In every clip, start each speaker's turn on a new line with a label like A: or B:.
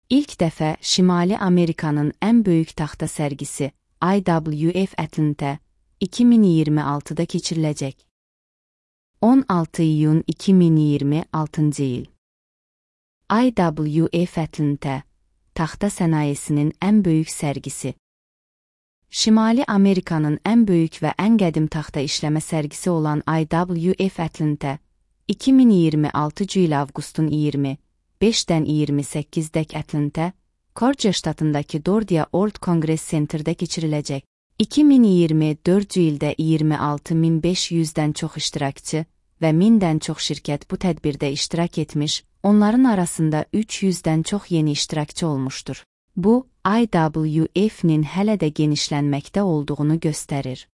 A: İlk dəfə Şimali Amerikanın ən böyük taxta sərgisi IWF Atlanta 2026-da keçiriləcək. 16 iyun 2026-cı il. IWF Atlanta, taxta sənayesinin ən böyük sərgisi. Şimali Amerikanın ən böyük və ən qədim taxta işləmə sərgisi olan IWF Atlanta, 2026 il avqustun 25-dən 28-dək Atlanta, Georgia ştatındakı Dordia World Congress Center'da keçiriləcək. 2024 ildə 26.500-dən çox iştirakçı və 1000-dən çox şirkət bu tədbirdə iştirak etmiş, onların arasında 300-dən çox yeni iştirakçı olmuşdur. Bu, IWF-nin hələ də genişlənməkdə olduğunu göstərir.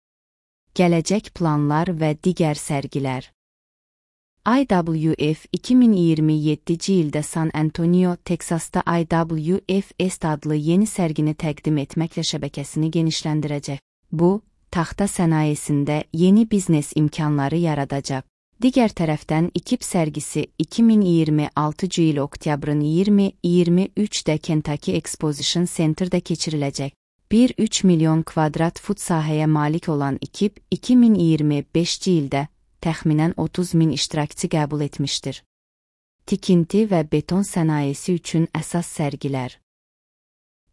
A: Gələcək planlar və digər sərgilər. IWF 2027-ci ildə San Antonio, Teksasda IWF Est adlı yeni sərgini təqdim etməklə şəbəkəsini genişləndirəcək. Bu, taxta sənayesində yeni biznes imkanları yaradacaq. Digər tərəfdən İKİP sərgisi 2026 il oktyabrın 20-23-də Kentucky Exposition Center'da keçiriləcək. 1,3 milyon kvadrat fut sahəyə malik olan İKİP 2025-ci ildə təxminən 30.000 iştirakçı qəbul etmişdir. Tikinti və beton sənayesi üçün əsas sərgilər.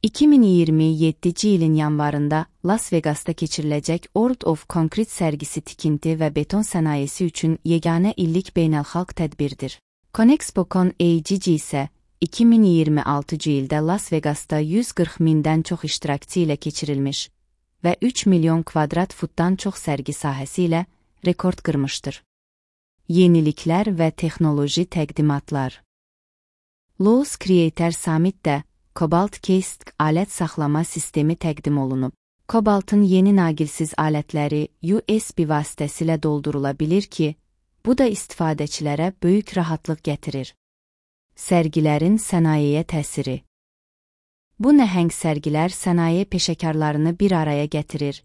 A: 2027-ci ilin yanvarında Las Vegasda keçiriləcək World of Concrete sərgisi tikinti və beton sənayesi üçün yeganə illik beynəlxalq tədbirdir. ConExpo-Con AGG isə 2026 ildə Las Vegasda 140.000-dən çox iştirakçı ilə keçirilmiş və 3 milyon kvadrat futdan çox sərgi sahəsi ilə rekord qırmışdır. Yeniliklər və texnoloji təqdimatlar. Lowe's Creator Summit'də Cobalt Case alət saxlama sistemi təqdim olunub. Cobaltın yeni naqilsiz alətləri USB vasitəsilə doldurula bilir ki, bu da istifadəçilərə böyük rahatlıq gətirir. Sərgilərin sənayeyə təsiri. Bu nəhəng sərgilər sənaye peşəkarlarını bir araya gətirir.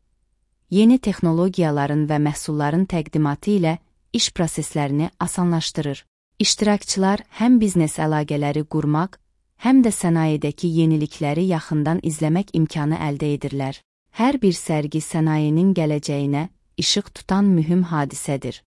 A: Yeni texnologiyaların və məhsulların təqdimatı ilə iş proseslərini asanlaşdırır. İştirakçılar həm biznes əlaqələri qurmaq, həm də sənayedəki yenilikləri yaxından izləmək imkanı əldə edirlər. Hər bir sərgi sənayenin gələcəyinə işıq tutan mühüm hadisədir.